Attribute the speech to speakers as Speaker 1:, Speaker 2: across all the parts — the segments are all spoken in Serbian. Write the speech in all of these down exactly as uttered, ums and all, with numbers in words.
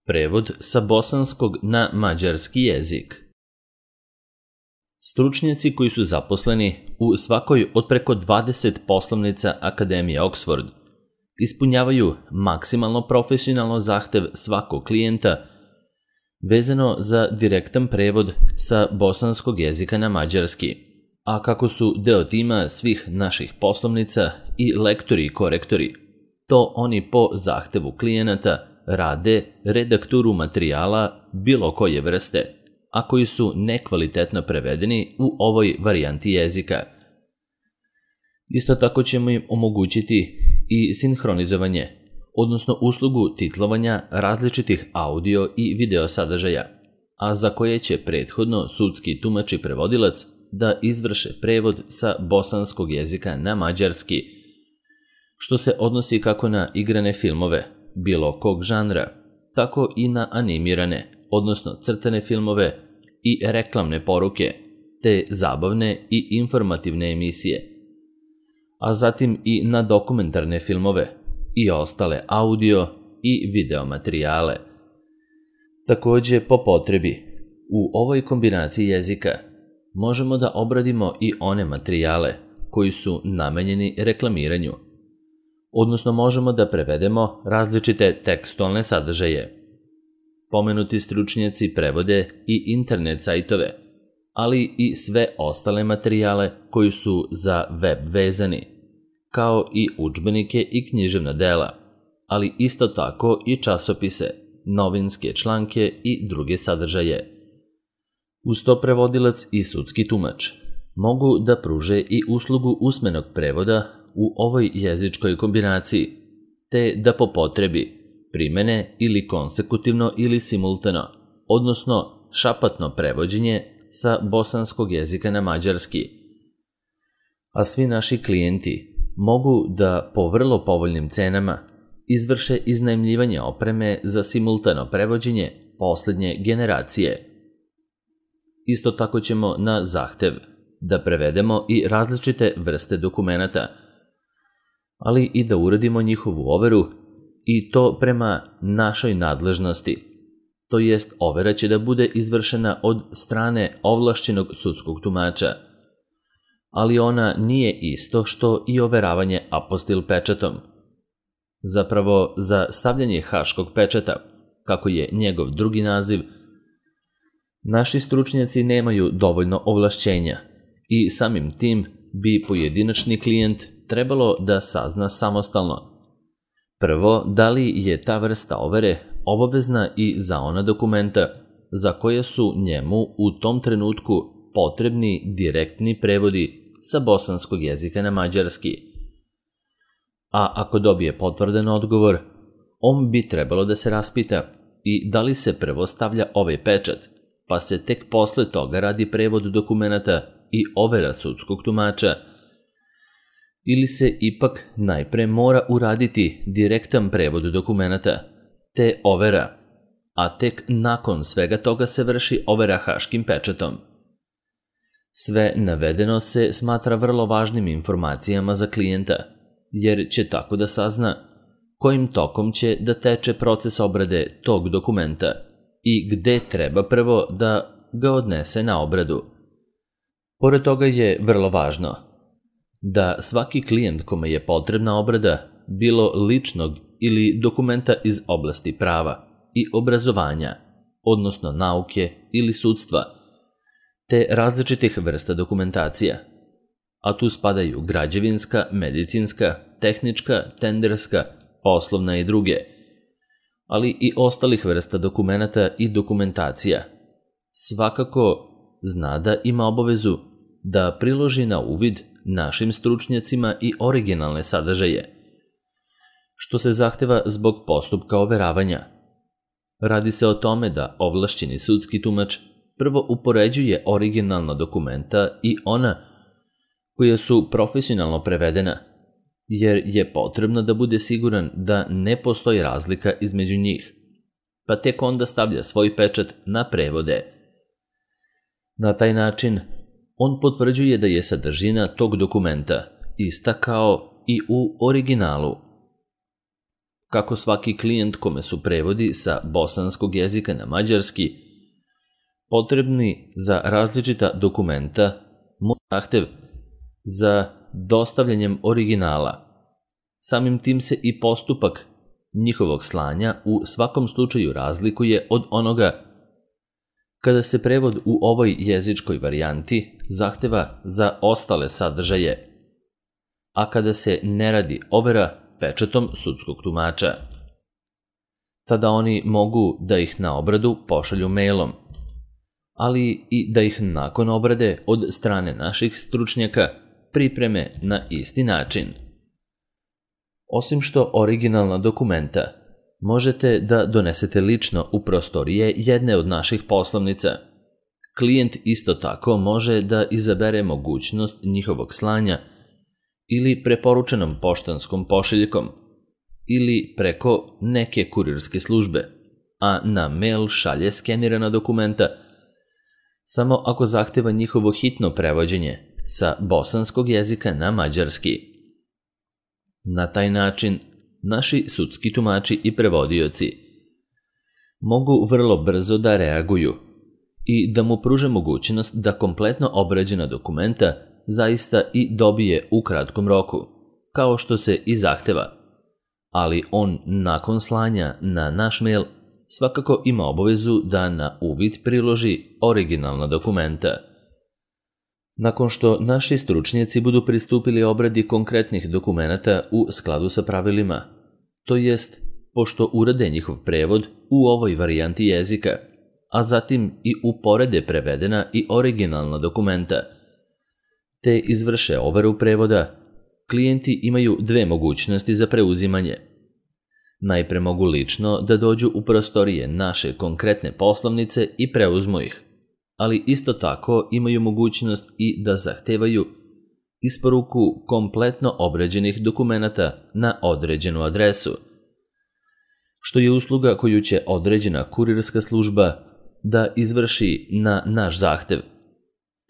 Speaker 1: Prevod sa bosanskog na mađarski jezik. Stručnjaci koji su zaposleni u svakoj od preko dvadeset poslovnica Akademije Oxford ispunjavaju maksimalno profesionalno zahtev svakog klijenta vezano za direktan prevod sa bosanskog jezika na mađarski, a kako su deo tima svih naših poslovnica i lektori i korektori, to oni po zahtevu klijenata rade redakturu materijala bilo koje vrste, a koji su nekvalitetno prevedeni u ovoj varijanti jezika. Isto tako ćemo im omogućiti i sinhronizovanje, odnosno uslugu titlovanja različitih audio i video sadržaja, a za koje će prethodno sudski tumač i prevodilac da izvrše prevod sa bosanskog jezika na mađarski, što se odnosi kako na igrane filmove, bilo kog žanra, tako i na animirane, odnosno crtane filmove i reklamne poruke, te zabavne i informativne emisije, a zatim i na dokumentarne filmove i ostale audio i video materijale. Takođe, po potrebi, u ovoj kombinaciji jezika možemo da obradimo i one materijale koji su namenjeni reklamiranju, odnosno možemo da prevedemo različite tekstualne sadržaje. Pomenuti stručnjaci prevode i internet sajtove, ali i sve ostale materijale koji su za web vezani, kao i udžbenike i književna dela, ali isto tako i časopise, novinske članke i druge sadržaje. Uz to prevodilac i sudski tumač mogu da pruže i uslugu usmenog prevoda u ovoj jezičkoj kombinaciji, te da po potrebi primene ili konsekutivno ili simultano, odnosno šapatno prevođenje sa bosanskog jezika na mađarski. A svi naši klijenti mogu da po vrlo povoljnim cenama izvrše iznajmljivanje opreme za simultano prevođenje poslednje generacije. Isto tako ćemo na zahtev da prevedemo i različite vrste dokumenata, ali i da uradimo njihovu overu i to prema našoj nadležnosti, to jest overa će da bude izvršena od strane ovlašćenog sudskog tumača, ali ona nije isto što i overavanje apostil pečatom. Zapravo, za stavljanje haškog pečata, kako je njegov drugi naziv, naši stručnjaci nemaju dovoljno ovlašćenja i samim tim bi pojedinačni klijent trebalo da sazna samostalno. Prvo, da li je ta vrsta overe obavezna i za ona dokumenta za koje su njemu u tom trenutku potrebni direktni prevodi sa bosanskog jezika na mađarski. A ako dobije potvrdan odgovor, on bi trebalo da se raspita i da li se prvo stavlja ovaj pečat, pa se tek posle toga radi prevod dokumenta i overa sudskog tumača, ili se ipak najpre mora uraditi direktan prevod dokumenta, te overa, a tek nakon svega toga se vrši overa haškim pečatom. Sve navedeno se smatra vrlo važnim informacijama za klijenta, jer će tako da sazna kojim tokom će da teče proces obrade tog dokumenta i gde treba prvo da ga odnese na obradu. Pored toga je vrlo važno da svaki klijent kome je potrebna obrada, bilo ličnog ili dokumenta iz oblasti prava i obrazovanja, odnosno nauke ili sudstva, te različitih vrsta dokumentacija, a tu spadaju građevinska, medicinska, tehnička, tenderska, poslovna i druge, ali i ostalih vrsta dokumenata i dokumentacija, svakako zna da ima obavezu da priloži na uvid našim stručnjacima i originalne sadržaje, što se zahteva zbog postupka overavanja. Radi se o tome da ovlašćeni sudski tumač prvo upoređuje originalna dokumenta i ona koja su profesionalno prevedena, jer je potrebno da bude siguran da ne postoji razlika između njih, pa tek onda stavlja svoj pečat na prevode. Na taj način, on potvrđuje da je sadržina tog dokumenta ista kao i u originalu. kako svaki klijent kome su prevodi sa bosanskog jezika na mađarski potrebni za različita dokumenta, moj zahtev za dostavljanjem originala. Samim tim se i postupak njihovog slanja u svakom slučaju razlikuje od onoga kada se prevod u ovoj jezičkoj varijanti zahteva za ostale sadržaje, a kada se ne radi overa pečatom sudskog tumača. Tada oni mogu da ih na obradu pošalju mailom, ali i da ih nakon obrade od strane naših stručnjaka pripreme na isti način. Osim što originalna dokumenta možete da donesete lično u prostorije jedne od naših poslovnica, klijent isto tako može da izabere mogućnost njihovog slanja ili preporučenom poštanskom pošiljkom ili preko neke kurirske službe, a na mail šalje skenirana dokumenta samo ako zahteva njihovo hitno prevođenje sa bosanskog jezika na mađarski. Na taj način naši sudski tumači i prevodioci mogu vrlo brzo da reaguju i da mu pruže mogućnost da kompletno obrađena dokumenta zaista i dobije u kratkom roku, kao što se i zahteva, ali on nakon slanja na naš mail svakako ima obavezu da na uvid priloži originalna dokumenta. Nakon što naši stručnjaci budu pristupili obradi konkretnih dokumenata u skladu sa pravilima, to jest pošto urade njihov prevod u ovoj varijanti jezika, a zatim i uporede prevedena i originalna dokumenta, te izvrše overu prevoda, klijenti imaju dve mogućnosti za preuzimanje. Najpre mogu lično da dođu u prostorije naše konkretne poslovnice i preuzmu ih, ali isto tako imaju mogućnost i da zahtevaju isporuku kompletno obrađenih dokumenata na određenu adresu, što je usluga koju će određena kurirska služba da izvrši na naš zahtev,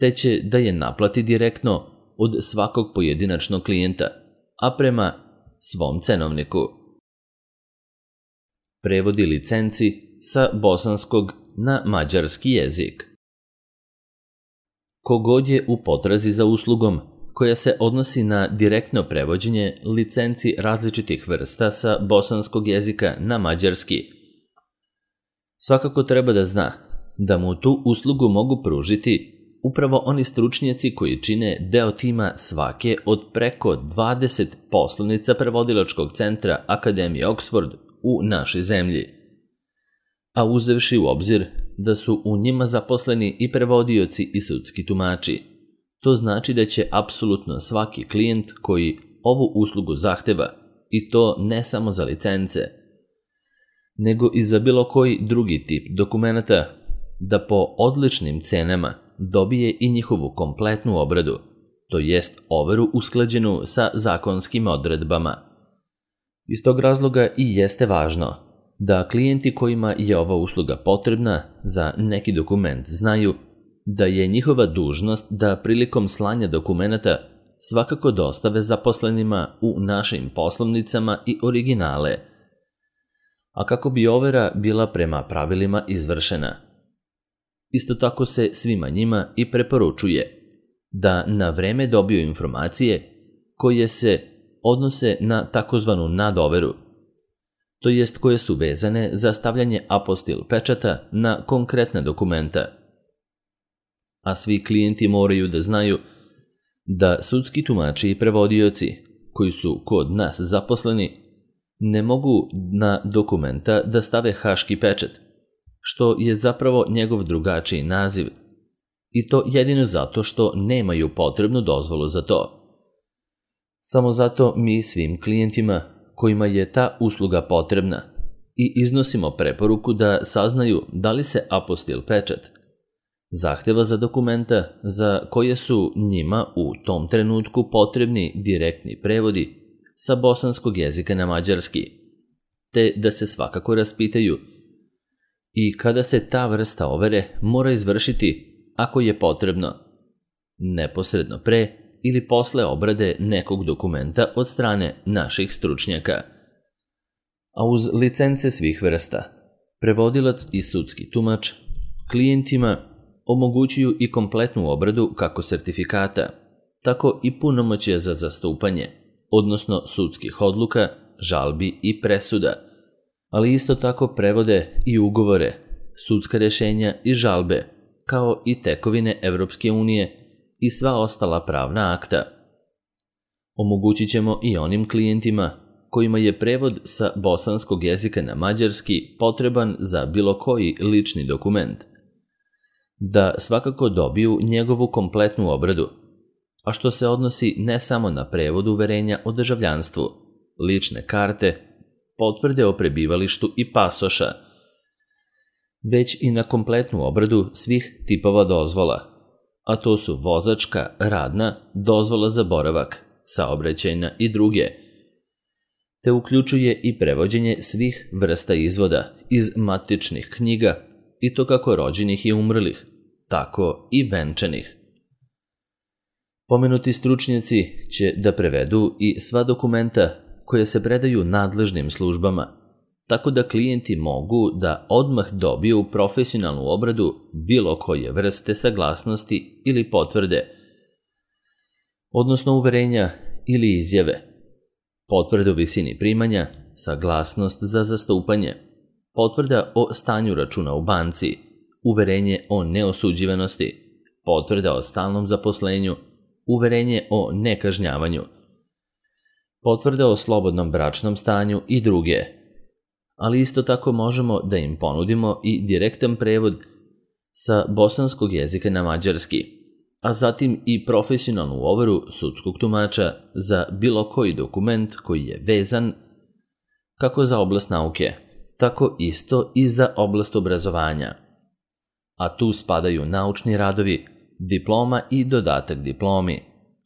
Speaker 1: te će da je naplati direktno od svakog pojedinačnog klijenta, a prema svom cenovniku. Prevodi licenci sa bosanskog na mađarski jezik. Kogod je u potrazi za uslugom koja se odnosi na direktno prevođenje licenci različitih vrsta sa bosanskog jezika na mađarski, svakako treba da zna da mu tu uslugu mogu pružiti upravo oni stručnjaci koji čine deo tima svake od preko dvadeset poslovnica prevodilačkog centra Akademije Oxford u našoj zemlji, a uzevši u obzir da su u njima zaposleni i prevodioci i sudski tumači. To znači da će apsolutno svaki klijent koji ovu uslugu zahteva, i to ne samo za licence, nego i za bilo koji drugi tip dokumenata, da po odličnim cenama dobije i njihovu kompletnu obradu, to jest overu usklađenu sa zakonskim odredbama. Iz tog razloga i jeste važno da klijenti kojima je ova usluga potrebna za neki dokument znaju da je njihova dužnost da prilikom slanja dokumenata svakako dostave zaposlenima u našim poslovnicama i originale, a kako bi overa bila prema pravilima izvršena. Isto tako se svima njima i preporučuje da na vreme dobiju informacije koje se odnose na takozvanu nadoveru, to jest koje su vezane za stavljanje apostil pečata na konkretne dokumenta. A svi klijenti moraju da znaju da sudski tumači i prevodioci koji su kod nas zaposleni ne mogu na dokumenta da stave haški pečat, što je zapravo njegov drugačiji naziv, i to jedino zato što nemaju potrebnu dozvolu za to. Samo zato mi svim klijentima kojima je ta usluga potrebna i iznosimo preporuku da saznaju da li se apostil pečat zahteva za dokumenta za koje su njima u tom trenutku potrebni direktni prevodi sa bosanskog jezika na mađarski, te da se svakako raspitaju i kada se ta vrsta overe mora izvršiti ako je potrebno, neposredno pre ili posle obrade nekog dokumenta od strane naših stručnjaka. a uz licence svih vrsta, prevodilac i sudski tumač klijentima omogućuju i kompletnu obradu kako sertifikata, tako i punomoćja za zastupanje, odnosno sudskih odluka, žalbi i presuda, ali isto tako prevode i ugovore, sudska rješenja i žalbe, kao i tekovine Evropske unije i sva ostala pravna akta. Omogućit ćemo i onim klijentima kojima je prevod sa bosanskog jezika na mađarski potreban za bilo koji lični dokument, da svakako dobiju njegovu kompletnu obradu, a što se odnosi ne samo na prevod uverenja o državljanstvu, lične karte, potvrde o prebivalištu i pasoša, već i na kompletnu obradu svih tipova dozvola, a to su vozačka, radna, dozvola za boravak, saobraćajna i druge, te uključuje i prevođenje svih vrsta izvoda iz matičnih knjiga, i to kako rođenih i umrlih, tako i venčanih. Pomenuti stručnjaci će da prevedu i sva dokumenta koje se predaju nadležnim službama, tako da klijenti mogu da odmah dobiju profesionalnu obradu bilo koje vrste saglasnosti ili potvrde, odnosno uverenja ili izjave, potvrde o visini primanja, saglasnost za zastupanje, potvrda o stanju računa u banci, uverenje o neosuđivanosti, potvrda o stalnom zaposlenju, uverenje o nekažnjavanju, potvrda o slobodnom bračnom stanju i druge. Ali isto tako možemo da im ponudimo i direktan prevod sa bosanskog jezika na mađarski, a zatim i profesionalnu overu sudskog tumača za bilo koji dokument koji je vezan kako za oblast nauke, tako isto i za oblast obrazovanja. A tu spadaju naučni radovi, diploma i dodatak diplomi,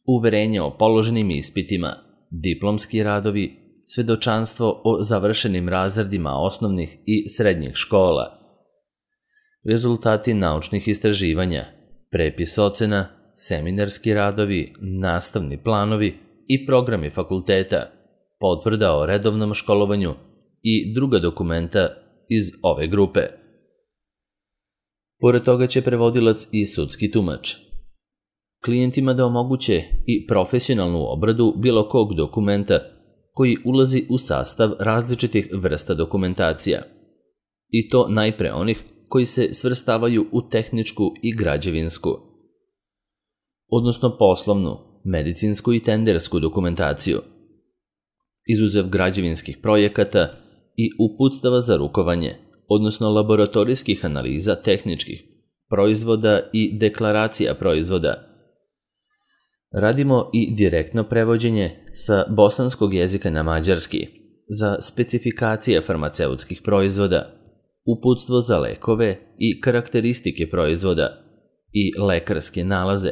Speaker 1: uverenje o položenim ispitima, diplomski radovi, svedočanstvo o završenim razredima osnovnih i srednjih škola, rezultati naučnih istraživanja, prepis ocena, seminarski radovi, nastavni planovi i programi fakulteta, potvrda o redovnom školovanju i druga dokumenta iz ove grupe. Pored toga će prevodilac i sudski tumač klijentima da omoguće i profesionalnu obradu bilo kog dokumenta koji ulazi u sastav različitih vrsta dokumentacija, i to najpre onih koji se svrstavaju u tehničku i građevinsku, odnosno poslovnu, medicinsku i tendersku dokumentaciju, izuzev građevinskih projekata i uputstava za rukovanje, odnosno laboratorijskih analiza tehničkih proizvoda i deklaracija proizvoda. Radimo i direktno prevođenje sa bosanskog jezika na mađarski za specifikacije farmaceutskih proizvoda, uputstvo za lekove i karakteristike proizvoda i lekarske nalaze,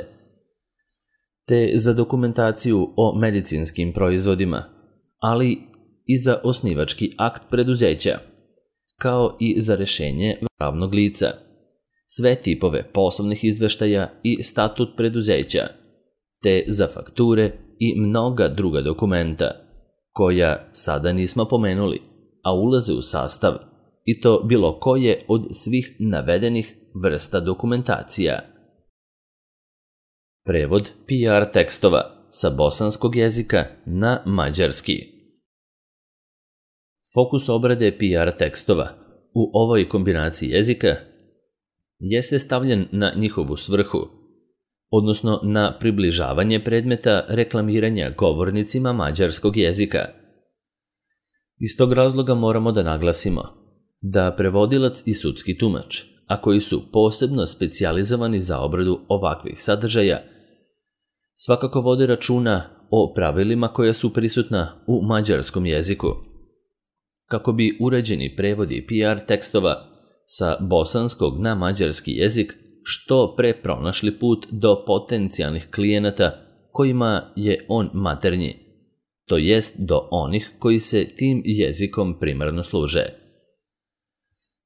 Speaker 1: te za dokumentaciju o medicinskim proizvodima, ali i za osnivački akt preduzeća, kao i za rešenje pravnog lica, sve tipove poslovnih izveštaja i statut preduzeća, te za fakture i mnoga druga dokumenta, koja sada nismo pomenuli, a ulaze u sastav, i to bilo koje od svih navedenih vrsta dokumentacija. Prevod P R tekstova sa bosanskog jezika na mađarski. Fokus obrade P R tekstova u ovoj kombinaciji jezika jeste stavljen na njihovu svrhu, odnosno na približavanje predmeta reklamiranja govornicima mađarskog jezika. Iz tog razloga moramo da naglasimo da prevodilac i sudski tumač, a koji su posebno specijalizovani za obradu ovakvih sadržaja, svakako vode računa o pravilima koja su prisutna u mađarskom jeziku, kako bi uređeni prevodi P R tekstova sa bosanskog na mađarski jezik što pre pronašli put do potencijalnih klijenata kojima je on maternji, to jest do onih koji se tim jezikom primarno služe.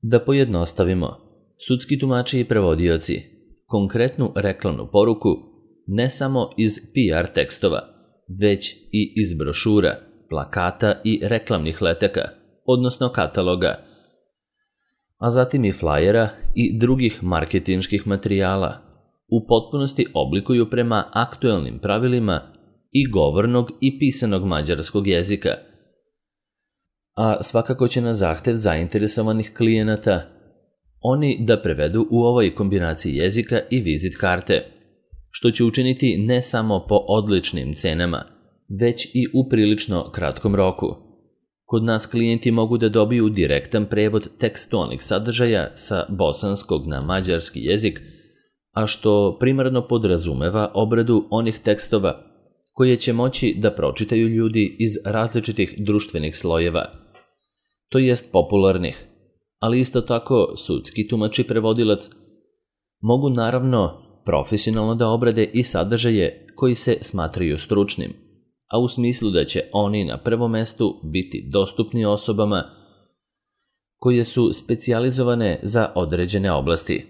Speaker 1: Da pojednostavimo, sudski tumači i prevodioci konkretnu reklamnu poruku ne samo iz P R tekstova, već i iz brošura, plakata i reklamnih letaka odnosno kataloga, a zatim i flajera i drugih marketinških materijala, u potpunosti oblikuju prema aktuelnim pravilima i govornog i pisanog mađarskog jezika. A svakako će na zahtev zainteresovanih klijenata oni da prevedu u ovoj kombinaciji jezika i vizit karte, što će učiniti ne samo po odličnim cenama, već i u prilično kratkom roku. Kod nas klijenti mogu da dobiju direktan prevod tekstualnih sadržaja sa bosanskog na mađarski jezik, a što primarno podrazumeva obradu onih tekstova koje će moći da pročitaju ljudi iz različitih društvenih slojeva, to jest popularnih, ali isto tako sudski tumač i prevodilac mogu naravno profesionalno da obrade i sadržaje koji se smatraju stručnim, a u smislu da će oni na prvom mestu biti dostupni osobama koje su specijalizovane za određene oblasti.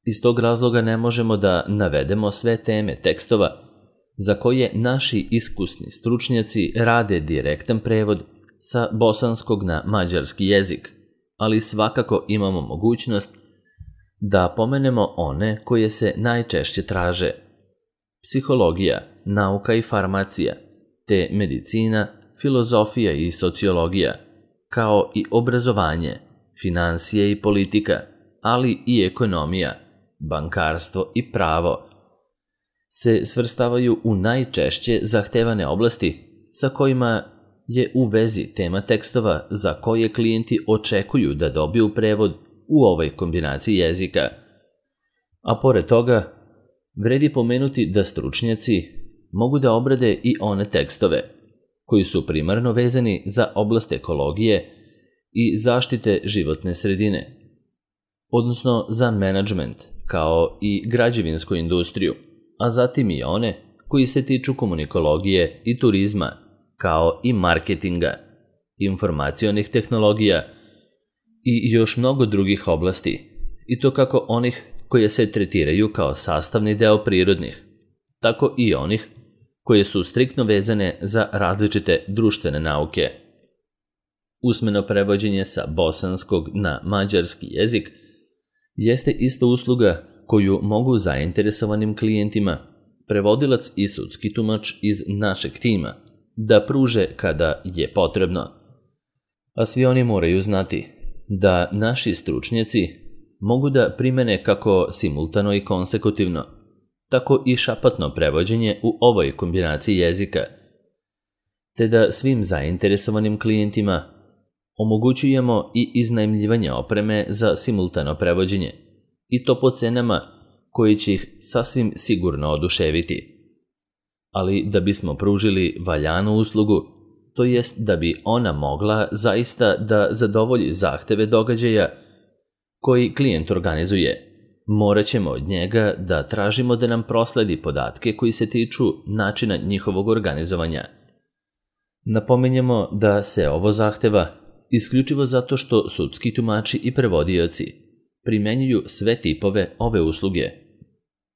Speaker 1: Iz tog razloga ne možemo da navedemo sve teme tekstova za koje naši iskusni stručnjaci rade direktan prevod sa bosanskog na mađarski jezik, ali svakako imamo mogućnost da pomenemo one koje se najčešće traže: psihologija, nauka i farmacija, te medicina, filozofija i sociologija, kao i obrazovanje, finansije i politika, ali i ekonomija, bankarstvo i pravo, se svrstavaju u najčešće zahtevane oblasti sa kojima je u vezi tema tekstova za koje klijenti očekuju da dobiju prevod u ovoj kombinaciji jezika. A pored toga, vredi pomenuti da stručnjaci mogu da obrade i one tekstove koji su primarno vezani za oblast ekologije i zaštite životne sredine, odnosno za menadžment kao i građevinsku industriju, a zatim i one koji se tiču komunikologije i turizma, kao i marketinga, informacionih tehnologija i još mnogo drugih oblasti, i to kako onih koje se tretiraju kao sastavni deo prirodnih, tako i onih koje su striktno vezane za različite društvene nauke. Usmeno prevođenje sa bosanskog na mađarski jezik jeste isto usluga koju mogu zainteresovanim klijentima, prevodilac i sudski tumač iz našeg tima, da pruže kada je potrebno. A svi oni moraju znati da naši stručnjaci mogu da primene kako simultano i konsekutivno, tako i šapatno prevođenje u ovoj kombinaciji jezika, te da svim zainteresovanim klijentima omogućujemo i iznajmljivanje opreme za simultano prevođenje, i to po cenama koji će ih sasvim sigurno oduševiti. Ali da bismo pružili valjanu uslugu, to jest da bi ona mogla zaista da zadovolji zahteve događaja koji klijent organizuje, morat ćemo od njega da tražimo da nam prosledi podatke koji se tiču načina njihovog organizovanja. Napominjemo da se ovo zahteva isključivo zato što sudski tumači i prevodioci primenjuju sve tipove ove usluge,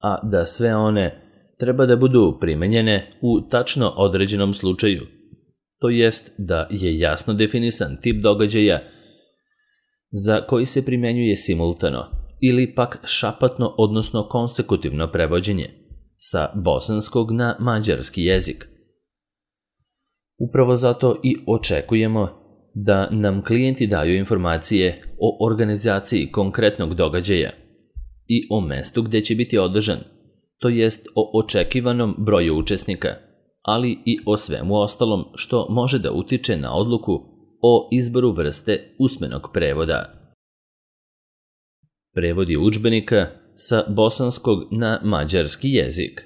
Speaker 1: a da sve one treba da budu primenjene u tačno određenom slučaju, to jest da je jasno definisan tip događaja za koji se primenjuje simultano ili pak šapatno odnosno konsekutivno prevođenje sa bosanskog na mađarski jezik. Upravo zato i očekujemo da nam klijenti daju informacije o organizaciji konkretnog događaja i o mestu gde će biti održan, to jest o očekivanom broju učesnika, ali i o svemu ostalom što može da utiče na odluku o izboru vrste usmenog prevoda. Prevodi udžbenika sa bosanskog na mađarski jezik.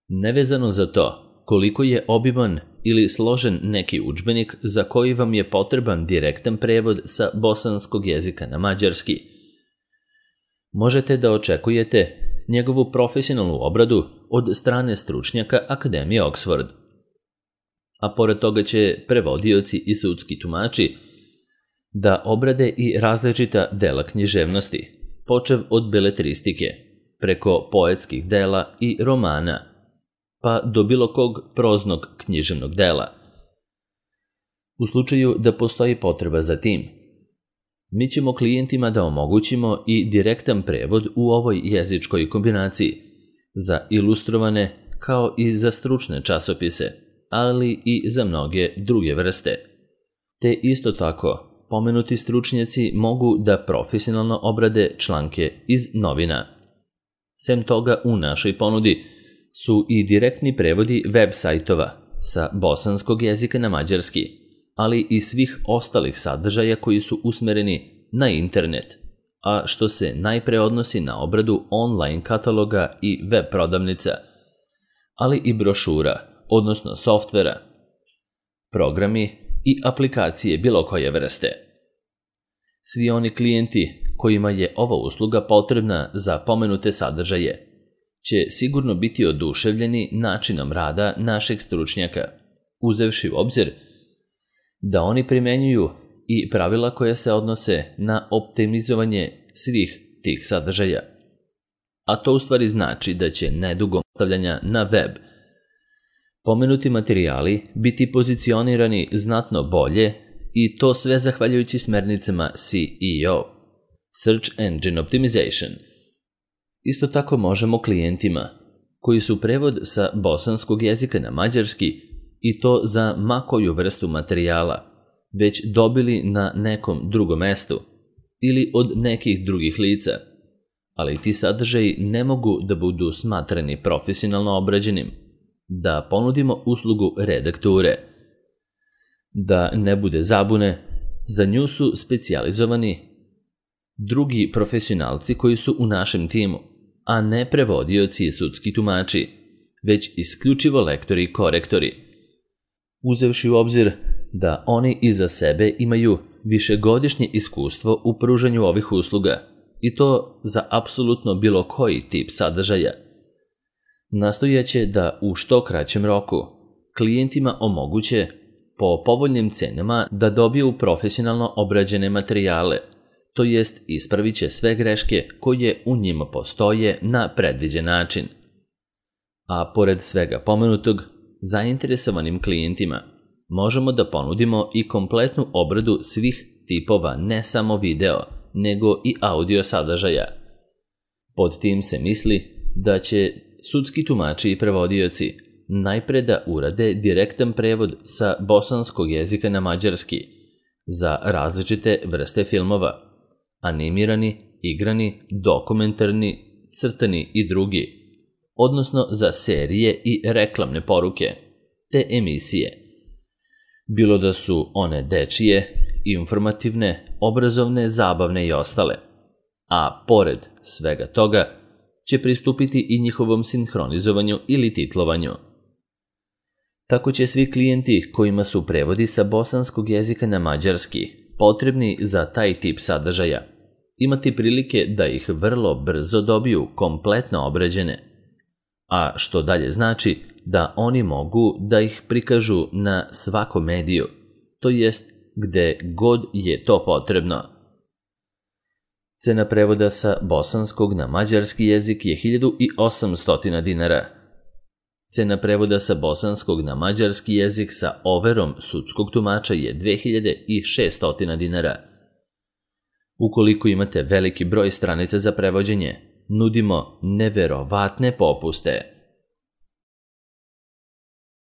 Speaker 1: Nevezano za to koliko je obiman ili složen neki udžbenik za koji vam je potreban direktan prevod sa bosanskog jezika na mađarski, možete da očekujete njegovu profesionalnu obradu od strane stručnjaka Akademije Oxford. A pored toga će prevodioci i sudski tumači da obrade i različita dela književnosti, počev od beletristike, preko poetskih dela i romana, pa do bilo kog proznog književnog dela. U slučaju da postoji potreba za tim, mi ćemo klijentima da omogućimo i direktan prevod u ovoj jezičkoj kombinaciji za ilustrovane kao i za stručne časopise, ali i za mnoge druge vrste. Te isto tako, pomenuti stručnjaci mogu da profesionalno obrade članke iz novina. Sem toga, u našoj ponudi su i direktni prevodi web sajtova sa bosanskog jezika na mađarski, ali i svih ostalih sadržaja koji su usmereni na internet, a što se najpre odnosi na obradu online kataloga i web prodavnica, ali i brošura, odnosno softvera, programi i aplikacije bilo koje vrste. Svi oni klijenti kojima je ova usluga potrebna za pomenute sadržaje će sigurno biti oduševljeni načinom rada našeg stručnjaka, uzevši u obzir da oni primenjuju i pravila koja se odnose na optimizovanje svih tih sadržaja. A to u stvari znači da će nedugo stavljanja na web pomenuti materijali biti pozicionirani znatno bolje i to sve zahvaljujući smernicama S E O, Search Engine Optimization. Isto tako možemo klijentima koji su prevod sa bosanskog jezika na mađarski i to za ma koju vrstu materijala već dobili na nekom drugom mestu ili od nekih drugih lica, ali ti sadržaji ne mogu da budu smatrani profesionalno obrađenim, da ponudimo uslugu redakture. Da ne bude zabune, za nju su specijalizovani drugi profesionalci koji su u našem timu, a ne prevodioci i sudski tumači, već isključivo lektori i korektori. Uzevši u obzir da oni iza sebe imaju višegodišnje iskustvo u pružanju ovih usluga, i to za apsolutno bilo koji tip sadržaja. Nastojaće da u što kraćem roku klijentima omoguće po povoljnim cenama da dobiju profesionalno obrađene materijale, to jest ispravit će sve greške koje u njima postoje na predviđen način. A pored svega pomenutog, zainteresovanim klijentima možemo da ponudimo i kompletnu obradu svih tipova ne samo video, nego i audio sadržaja. Pod tim se misli da će sudski tumači i prevodioci najpre da urade direktan prevod sa bosanskog jezika na mađarski za različite vrste filmova, animirani, igrani, dokumentarni, crtani i drugi, odnosno za serije i reklamne poruke, te emisije. Bilo da su one dečije, informativne, obrazovne, zabavne i ostale. A pored svega toga će pristupiti i njihovom sinhronizovanju ili titlovanju. Tako će svi klijenti kojima su prevodi sa bosanskog jezika na mađarski potrebni za taj tip sadržaja imati prilike da ih vrlo brzo dobiju kompletno obrađene, a što dalje znači da oni mogu da ih prikažu na svakom mediju, to jest gde god je to potrebno. Cena prevoda sa bosanskog na mađarski jezik je hiljadu osamsto dinara. Cena prevoda sa bosanskog na mađarski jezik sa overom sudskog tumača je dve hiljade šesto dinara. Ukoliko imate veliki broj stranica za prevođenje, nudimo neverovatne popuste.